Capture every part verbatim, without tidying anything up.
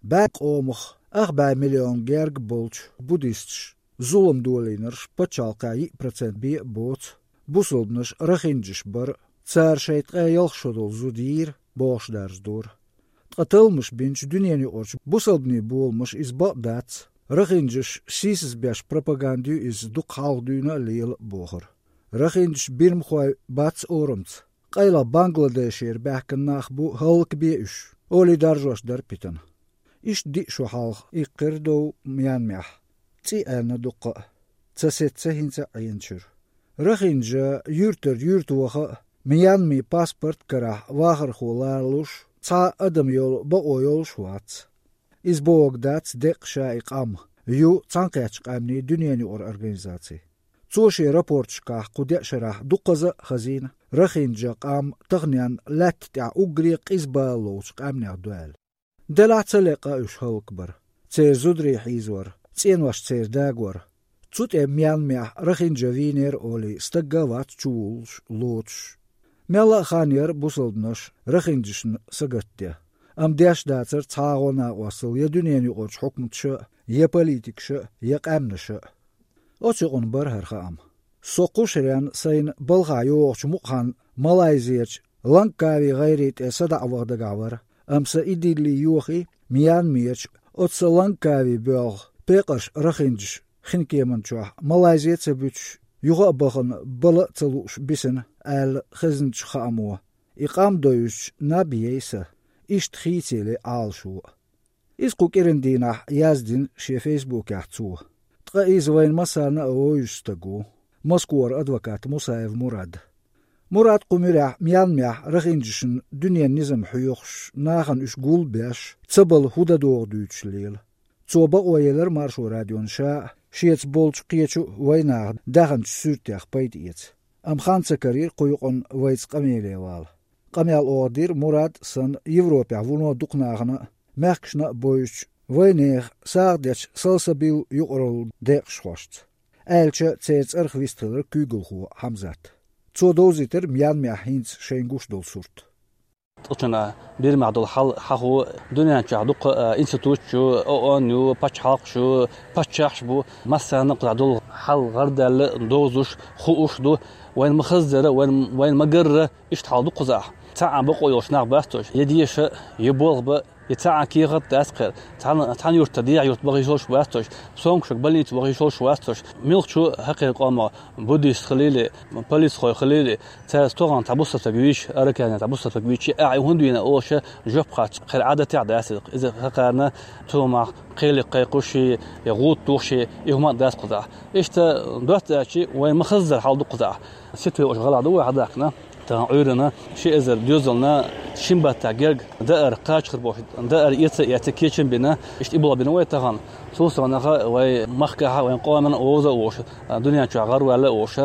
бӀаь къомах ах бӀаь миллион герга болчу буддисташ зулам долийнарш пачхьалкхехь йиъ процент бен а боцу бусалбанаш рахинджаш бар, цара шайн ткъе ялх шо долу зуда йийра, бохуш даржадора. Ткъа талламаш бинчу дуьненан юкъарчу бусалбанийн боламаша иза бакъ дац, рахинджаш сийсаз беш пропаганда ю иза, дукха хьалха дуьйна а лела а бохура. Рахинджаш бирмахой бац орамца, къайлаха Бангладешера баьхкина нах бу, хӀаллакбе уьш, олий даржош дара Питана. Иштта диъ шо хьалха иккхира дов Мьянмехь, цӀий аьлла дуккха а, ца сецна хӀинца а Ӏеначуьра. Рахинджа юьртара юьрта ваха а, Мьянмин паспорт карахь вахархо лоруш цхьа а адам йолу бакъо йолуш а вац. Иза бохург дац деккъа ша и къам, ю Цхьаьнакхеттачу Къаьмнийн дуьненан юкъара организаци. Цо шен рапорташкахь кху деа шарахь дукхаза а хазийна, рахинджа къам таханенна лаьтта тӀехь уггаре а къиза бала ловчу къаьмнех ду аьлла. Делахь а ца лекъа уьш хӀаллакбар, церан зударий хьийзор, цӀенош церан дагор. Цу тӀе Мьянмехь рахинджа вийнера олий стагга а вац чувуллуш, лоцуш. Мелла а хан яра бусалбанаш рахинджашна сагатдеш, амма деш дацара цхьа а гӀо-накъостал я дуьненан юкъарчу хьукматаша а, я политикаша а, я къаьмнаша а. Оцу юкъана бара хӀара хаам. Со кху шарна сайна балхахь йогӀучу мукъа хан Малайзерчу Лангкави гӀайре тӀе садаӀа ваха дагахь вара, амма сан и дилли йохий, Мьянмерчу оцу сан Лангкави боьлху пекъарш рахинджаш хин кеман чохь Малайзе а ца буьтуш, юха а бахана бала а ца лууш бисина, аьлла хезначу хаамо. И къам довзуьйтуш наб яй сан, иштта хийцаеле Ӏалашо а. Иза кху кӀиран дийнахь яздина шен фейсбукехь цо. Ткъа иза вайна массарна а вовзаш стаг ву, Москвара адвокат Мусаев Мурад. Мурад кху муьрехь Мьянмехь рахинджашна дуьненан низам хьоьхуш, нахана уьш гулбеш, ца бала хӀун дан догӀу дуьйцуш лела. Цо бакъо елира Маршо радиона ша а, шеца болчу кхечу а вайнаха даьхначу суьртех пайда эца. Амма хан ца карийра кху юкъана вайца къамеле вала. Къамел оха дира Мурад санна Европехь вуно дукха нахана а, мехкашна а бовзучу, вайнехан сагӀа дечу Салсабил юкъаралла декъашхошца. Аьлча, церан цӀарах вистхилира куьйгалхо Хьамзат. Цо довзийтира Мьянмехь хӀинца шайна гуш долу сурт. Цкъачунна Бирмехь долу хьал хьахо, дуьнен чохь дуккха а институташ ю, ООН ю, пачхьалкхаш ю, паччахьаш бу, массарна а кхузахь долу хьал гӀардаьлла, довзуш, хууш ду. Вайна ма-хаззара, вайна, вайна ма-гарра, иштта хьал ду кхузахь. Цхьа а бакъо йолуш нах бац уьш, я деша, я болх бан, я цхьа а кехат дац кхера. Цхьана, цхьана юьртара дехьа юьрта баха йиш йолуш бац уьш, сомкашка больница ваха йиш йолуш вац уьш. Муьлххачу хьакхеран къомах, буддист хилийла, полицхой хилийла, цара стогӀана цхьа бусалба стаг вийча, Аракане цхьа бусалба стаг вийча, ахь и хӀунда вийна олуш жоп хатта кхера Ӏадатехь дац иза. Иза хӀокхарна цу мах кхеле кхайкхуш, я гӀуда тухуш, и хӀума а дац кхузахь. Иштта доцца аьлча, вайна ма-хаззара хьал ду кхузахь. Ситве оцу гӀалахь ду вай хьадахкана. Тахана Ӏуьйранна ши эзар доьзална шин баттахь герга даар кхачахар бохуш, даар эца а эцна, кечам бина, иштта и болх бина вай тахана. Цул совнаха вай махкахь а, вайн къомана а вовза а вовш, дуьнен чохь гӀараваьлла а вовш,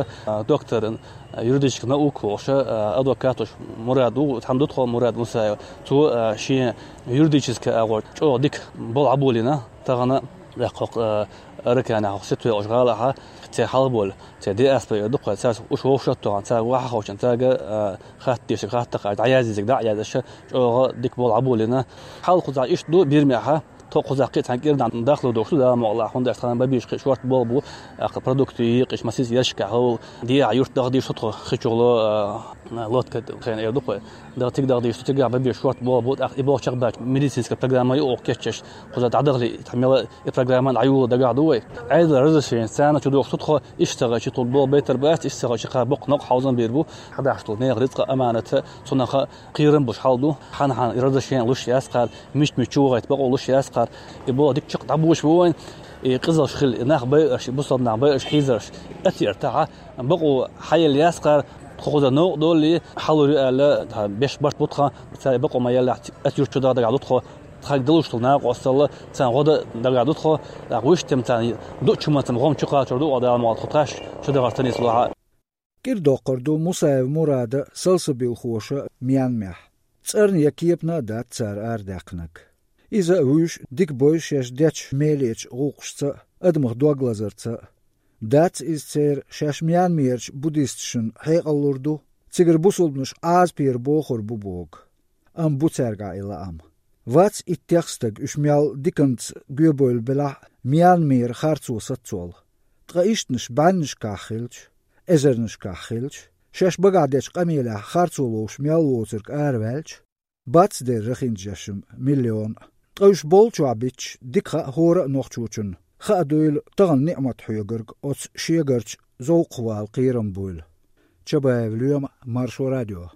доктор юридических наук волуш, адвокат волуш Мурад ву, цхьаьна ду тхо Мурад Мусаев. Цо шен юридически агӀор чӀогӀа дика болх Ӏаболийна тахана, тӀаккха хӀокху Араканехь, хӀокху Ситве оцу гӀалахь, церан хьалхаболу, церан диаспора эр ду-кх вай, цаьрца уьш вовшах а тохана, цаьрга ваха а ховшина, цаьрга а хатта дезарг хаттар а, дӀаяздезарг дӀа а яздеш, чӀогӀа дика болх Ӏаболийна. Хьал кхузахь иштта ду Бирмехь, тхо кхузахь кхин а цхьана кӀирнахь дахло догӀуш ду, Дала мукъалахь, хӀунда аьлча тхайн бан безаш кхин шорта болх бу, тӀаккха продукты екъаш, масийтта ершкахь хӀовла, дехьа юрт даха дийш ду тхо, хи чухула, а, лодка хена эр ду-кх вай. Даха цига даха дийш ду, цигахь бан безаш шорта болх бу, тӀаккха и болх чекхбаьлча, медицинская программа юкъахь кечъеш, кхуза дӀадахале, тхан мела и программа дӀайоло дагахь ду вай. Ӏедалан разрешени царна чу дохуш ду тхо, иштта ца хилча тхуна болх байтар бац, иштта ца хилча кхара боккха накъосталла бийр бу. Хьадахьаш долу нехан рицкъа аманат а, цунах а кхерам болуш хьал ду. Хьан-хьан разрешени луш яц кхара, мича-мича чу вахийта бакъо луш яц кхара. И болх дика чекх дӀабоьдуш бу вайн. И къизалш хилла, и нах байарш, и бусалба нах байарш, хьийзарш, атта эр тахьа, бакъо хьаелла яц кхара, тхо кхуза новкъа доллий, хьалур ю аьлла, тхан беш барт бу тхан, цара и бакъо ма-еллехь, атта юрт чу даха дагахь ду тхо. Тхайга далуш долу накъосталла царна гӀо дан дагахь ду тхо, тӀаккха вуьшта тема царна дуучу хӀуманца гӀум чу кхачор ду оха, Дала мукъалахь, тхо тхаьш чу дахарца нийса лахь а. КӀира доккхур ду Мусаев Мурада салсабилхоша Мьянмехь. ЦӀарна я кепана а дац цара арадаьккхинарг. Иза а вуьйш дика бойу шаьш дечу мелечу гӀуллакхашца а, адамах дог лазарца а. Дац иза церан шаьш Мьянмерчу буддисташна хьекъал лур ду, цигара бусалбанаш Ӏазапера бохур бу бохург. Амма бу цаьргахь и лаам. Вац иттех стаг уьш мел диканца гоьбевлла белахь а Мьянмера харцо саццолла. Ткъа ишттанаш бӀеннашкахь хилча, эзарнашкахь хилча, шаьш багахь дечу къамелехь харцо ловш мел воцург араваьлча, бац дера рахинчу шерашна миллион а. Ткъа уьш боллучохь битташ дика хаьа хӀора а нохчочунна, хаа дуйла тахана ниӀмат хьоьгург оцу шегарчу зовкхвала кхерам буйла. Чабаев Лоьма, Маршо радио.